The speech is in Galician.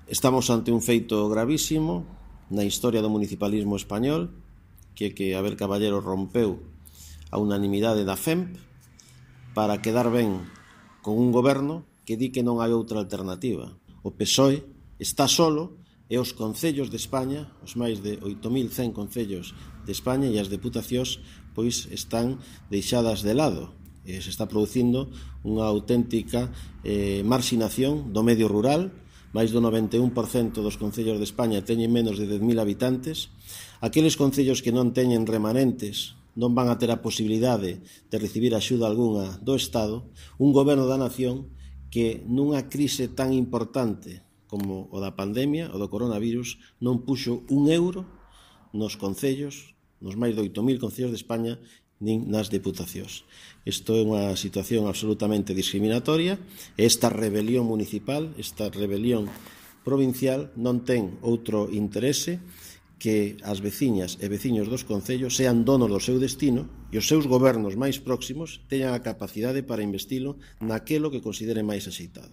Estamos ante un feito gravísimo na historia do municipalismo español, que Abel Caballero rompeu a unanimidade da FEMP para quedar ben con un goberno que di que non hai outra alternativa. O PSOE está solo e os concellos de España, os máis de 8.100 concellos de España e as deputacións, pois están deixadas de lado. Se está producindo unha auténtica marxinación do medio rural. Mais do 91% dos concellos de España teñen menos de 10.000 habitantes. Aqueles concellos que non teñen remanentes non van a ter a posibilidade de recibir axuda algunha do Estado. Un goberno da nación que nunha crise tan importante como o da pandemia, o do coronavirus, non puxo un euro nos concellos, nos máis de 8.000 concellos de España, nin nas deputacións. Isto é unha situación absolutamente discriminatoria e esta rebelión municipal, esta rebelión provincial non ten outro interese que as veciñas e veciños dos concellos sean donos do seu destino e os seus gobernos máis próximos teñan a capacidade para investilo naquelo que consideren máis axeitado.